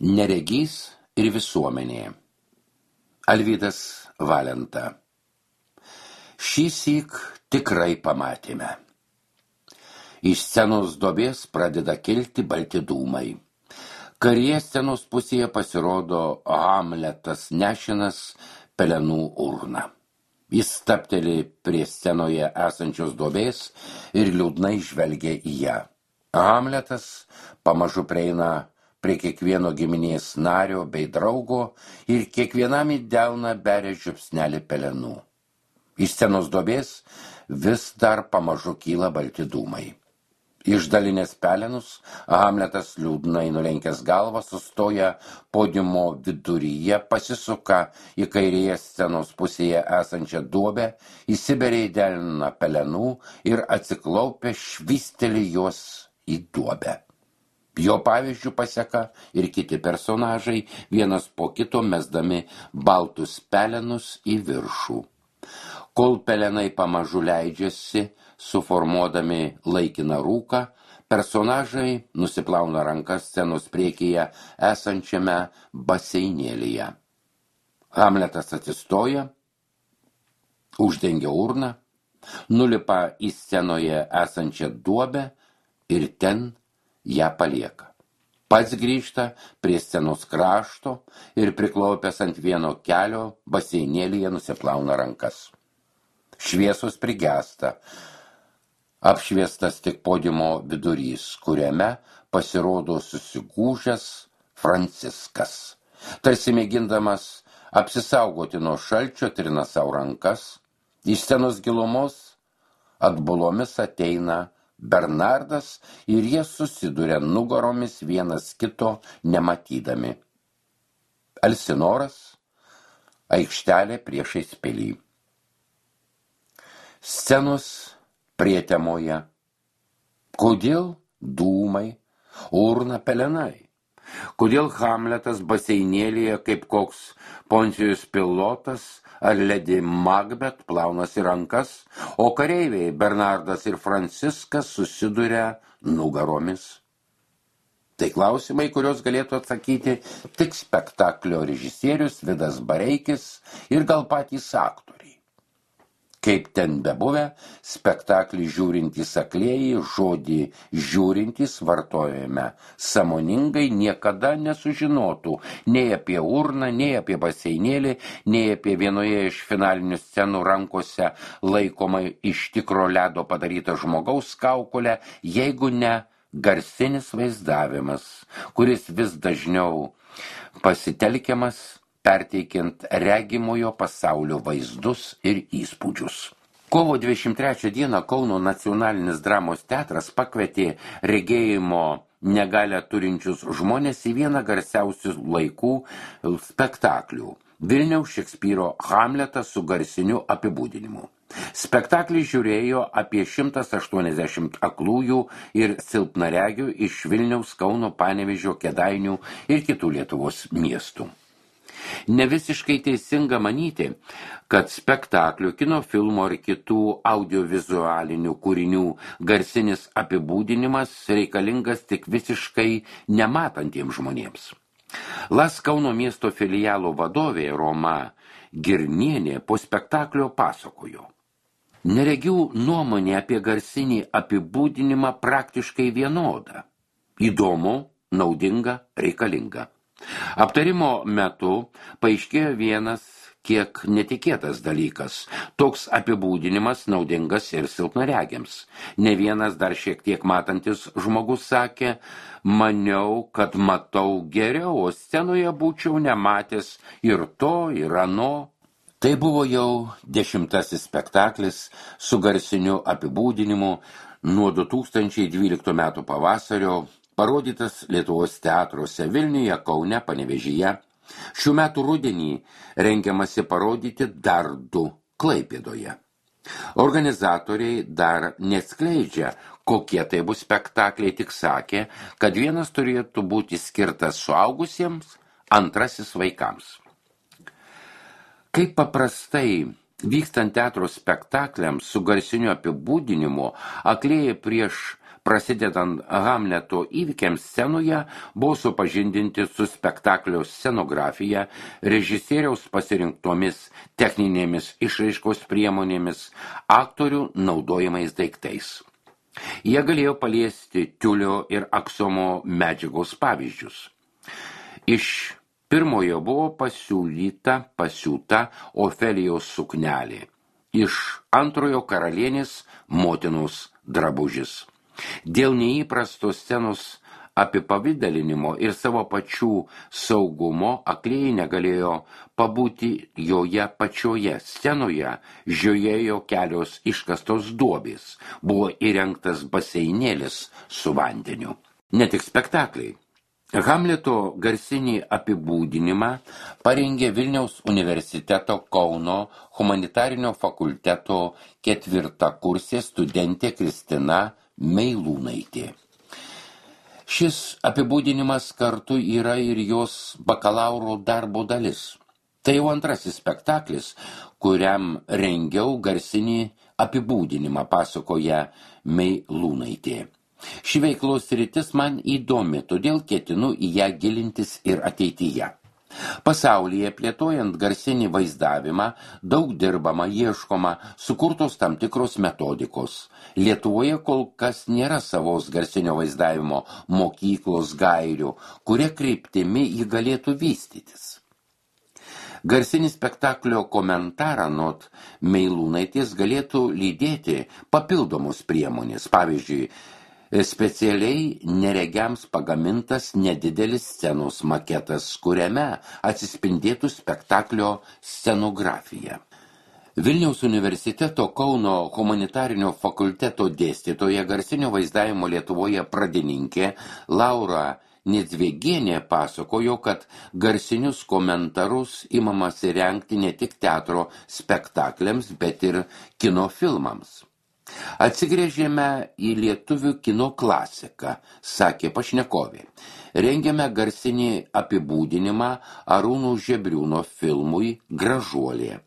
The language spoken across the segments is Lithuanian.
Neregys ir visuomenė. Alvydas Valenta. Šįsyk tikrai pamatėme. Iš scenos duobės pradeda kilti balti dūmai. Kairėje scenos pusėje pasirodo Hamletas nešinas pelenų urną. Jis stabteli prie scenoje esančios duobės ir liūdnai žvelgia į ją. Hamletas pamažu prieina prie kiekvieno giminės nario bei draugo ir kiekvienam į delną beria žiupsnelį pelenų. Iš scenos duobės vis dar pamažu kyla balti dūmai. Išdalinęs pelenus, Hamletas liūdnai nulenkęs galvą sustoja podiumo viduryje, pasisuka į kairėje scenos pusėje esančią duobę, įsiberia į delną pelenų ir atsiklaupę švysteli juos į duobę. Jo pavyzdžių paseka ir kiti personažai, vienas po kito mesdami baltus pelenus į viršų. Kol pelenai pamažu leidžiasi, suformuodami laikiną rūką, personažai nusiplauna rankas scenos priekyje esančiame baseinėlyje. Hamletas atsistoja, uždengia urną, nulipa į scenoje esančią duobę ir ten ją palieka. Pats grįžta prie scenos krašto ir priklaupęs ant vieno kelio baseinėlyje nusiplauna rankas. Šviesos prigesta, apšviestas tik podiumo vidurys, kuriame pasirodo susigūžęs Franciskas. Tarsi mėgindamas apsisaugoti nuo šalčio, trina savo rankas. Iš scenos gilumos atbulomis ateina Bernardas ir jie susiduria nugaromis vienas kito nematydami. Elsinoras, aikštelė priešais pilį. Scenos prietemoje. Kodėl dūmai, urna, pelenai? Kodėl Hamletas baseinėlyje kaip koks Poncijus Pilotas ar Lady Macbeth plaunasi rankas, o kareiviai Bernardas ir Franciskas susiduria nugaromis? Tai klausimai, kuriuos galėtų atsakyti tik spektaklio režisierius Vidas Bareikis ir gal patys aktoriai. Kaip ten bebuvę, spektaklį žiūrintys aklieji žodį žiūrintys vartojame sąmoningai niekada nesužinotų nei apie urną, nei apie baseinėlį, nei apie vienoje iš finalinių scenų rankose laikomą iš tikro ledo padarytą žmogaus kaukolę, jeigu ne garsinis vaizdavimas, kuris vis dažniau pasitelkiamas perteikiant regimojo pasaulio vaizdus ir įspūdžius. Kovo 23 dieną Kauno nacionalinis dramos teatras pakvietė regėjimo negalią turinčius žmonės į vieną garsiausių laikų spektaklių – Vilniaus Šekspyro Hamletas su garsiniu apibūdinimu. Spektaklį žiūrėjo apie 180 aklųjų ir silpnaregių iš Vilniaus, Kauno, Panevėžio, Kėdainių ir kitų Lietuvos miestų. Nevisiškai teisinga manyti, kad spektaklio, kino filmo ar kitų audiovizualinių kūrinių garsinis apibūdinimas reikalingas tik visiškai nematantiems žmonėms. Las Kauno miesto filialo vadovė Roma Girnienė po spektaklio pasakojo. Neregių nuomonė apie garsinį apibūdinimą praktiškai vienoda. Įdomu, naudinga, reikalinga. Aptarimo metu paaiškėjo vienas kiek netikėtas dalykas. Toks apibūdinimas naudingas ir silpnaregiams. Ne vienas dar šiek tiek matantis žmogus sakė, maniau, kad matau geriau, o scenoje būčiau nematęs ir to, ir ano. Tai buvo jau 10. spektaklis su garsiniu apibūdinimu nuo 2012 metų pavasario, parodytas Lietuvos teatruose Vilniuje, Kaune, Panevėžyje. Šių metų rudenį rengiamasi parodyti dar 2 Klaipėdoje. Organizatoriai dar neatskleidžia, kokie tai bus spektakliai, tik sakė, kad vienas turėtų būti skirtas suaugusiems, antrasis vaikams. Kaip paprastai vykstant teatro spektakliams su garsiniu apibūdinimu, aklieji prieš prasidedant Hamleto įvykiams scenoje, buvo supažindinti su spektaklio scenografija, režisieriaus pasirinktomis techninėmis išraiškos priemonėmis, aktorių naudojamais daiktais. Jie galėjo paliesti tiulio ir aksomo medžiagos pavyzdžius. Iš pirmojo buvo pasiūta Ofelijos suknelė, iš antrojo karalienės motinos drabužis. Dėl neįprasto scenos apipavidalinimo ir savo pačių saugumo aklieji negalėjo pabūti joje pačioje scenoje, žiojėjo kelios iškastos duobės, buvo įrengtas baseinėlis su vandeniu. Ne tik spektakliai. Hamleto garsinį apibūdinimą parengė Vilniaus universiteto Kauno humanitarinio fakulteto 4-kursė studentė Kristina Meilūnaitė. Šis apibūdinimas kartu yra ir jos bakalauro darbo dalis. Tai jau antrasis spektaklis, kuriam rengiau garsinį apibūdinimą, pasakoja Meilūnaitė. Ši veiklos sritis man įdomi, todėl ketinu į ją gilintis ir ateityje. Pasaulyje plėtojant garsinį vaizdavimą daug dirbama, ieškoma, sukurtos tam tikros metodikos. Lietuvoje kol kas nėra savos garsinio vaizdavimo mokyklos gairių, kuria kryptimi ji galėtų vystytis. Garsinį spektaklio komentarą anot Meilūnaitės galėtų lydėti papildomos priemonės, pavyzdžiui, specialiai neregiams pagamintas nedidelis scenos maketas, kuriame atsispindėtų spektaklio scenografija. Vilniaus universiteto Kauno humanitarinio fakulteto dėstytoja garsinio vaizdavimo Lietuvoje pradininkė Laura Nidzvegienė pasakojo, kad garsinius komentarus imamasi rengti ne tik teatro spektakliams, bet ir kino filmams. Atsigrėžėme į lietuvių kino klasiką, sakė pašnekovė. Rengiame garsinį apibūdinimą Arūno Žebriūno filmui Gražuolė.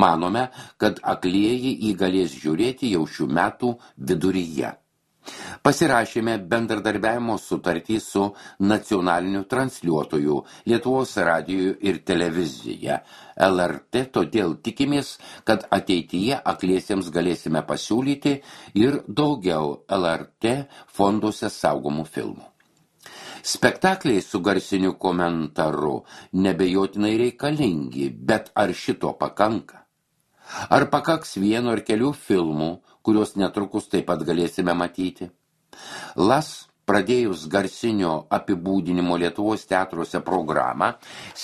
Manome, kad aklieji jį galės žiūrėti jau šių metų viduryje. Pasirašėme bendradarbiavimo sutartį su nacionaliniu transliuotoju Lietuvos radiju ir televizija LRT, todėl tikimės, kad ateityje akliesiems galėsime pasiūlyti ir daugiau LRT fonduose saugomų filmų. Spektakliai su garsiniu komentaru nebejotinai reikalingi, bet ar šito pakanka? Ar pakaks vieno ar kelių filmų, kuriuos netrukus taip pat galėsime matyti? LAS, pradėjus garsinio apibūdinimo Lietuvos teatruose programą,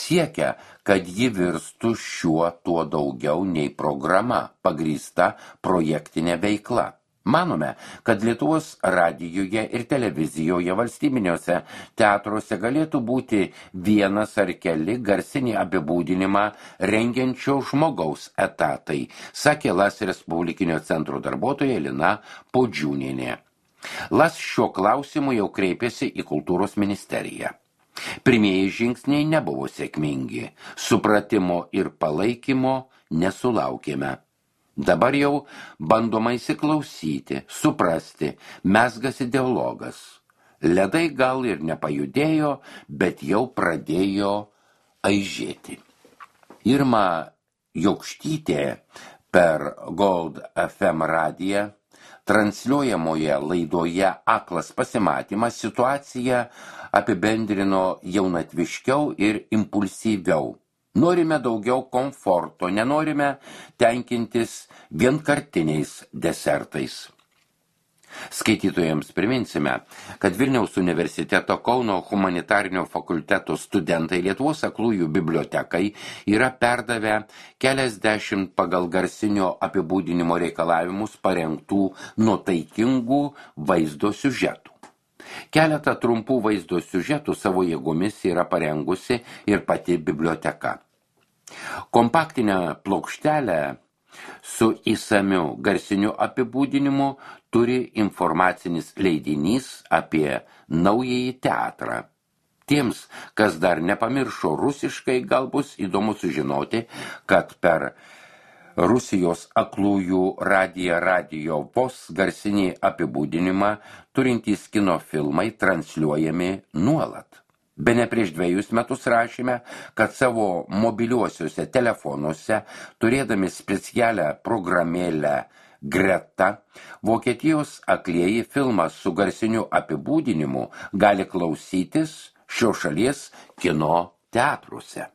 siekia, kad ji virstų šiuo tuo daugiau nei programa, pagrįsta projektinė veikla. Manome, kad Lietuvos radijuje ir televizijoje valstybiniuose teatruose galėtų būti vienas ar keli garsinį apibūdinimą rengiančio žmogaus etatai, sakė LAS Respublikinio centro darbuotoja Lina Podžiūnienė. LAS šiuo klausimu jau kreipėsi į kultūros ministeriją. Pirmieji žingsniai nebuvo sėkmingi, supratimo ir palaikymo nesulaukėme. Dabar jau bandoma įsiklausyti, suprasti, mezgasi dialogas. Ledai gal ir nepajudėjo, bet jau pradėjo aižėti. Irma Jokštytė per Gold FM radiją transliuojamoje laidoje Aklas pasimatymas situaciją apibendrino jaunatviškiau ir impulsyviau. Norime daugiau komforto, nenorime tenkintis vienkartiniais desertais. Skaitytojams priminsime, kad Vilniaus universiteto Kauno humanitarinio fakulteto studentai Lietuvos aklųjų bibliotekai yra perdavę keliasdešimt pagal garsinio apibūdinimo reikalavimus parengtų nuotaikingų vaizdo siužetų. Keletą trumpų vaizdo siužetų savo jėgomis yra parengusi ir pati biblioteka. Kompaktinę plokštelę su įsamiu garsiniu apibūdinimu turi informacinis leidinys apie naująjį teatrą. Tiems, kas dar nepamiršo rusiškai, gal bus įdomu sužinoti, kad per Rusijos aklųjų radijo vos garsinį apibūdinimą turintys kino filmai transliuojami nuolat. Bene prieš 2 metus rašėme, kad savo mobiliuosiuose telefonuose, turėdami specialią programėlę Greta, Vokietijos aklieji filmą su garsiniu apibūdinimu gali klausytis šios šalies kino teatruose.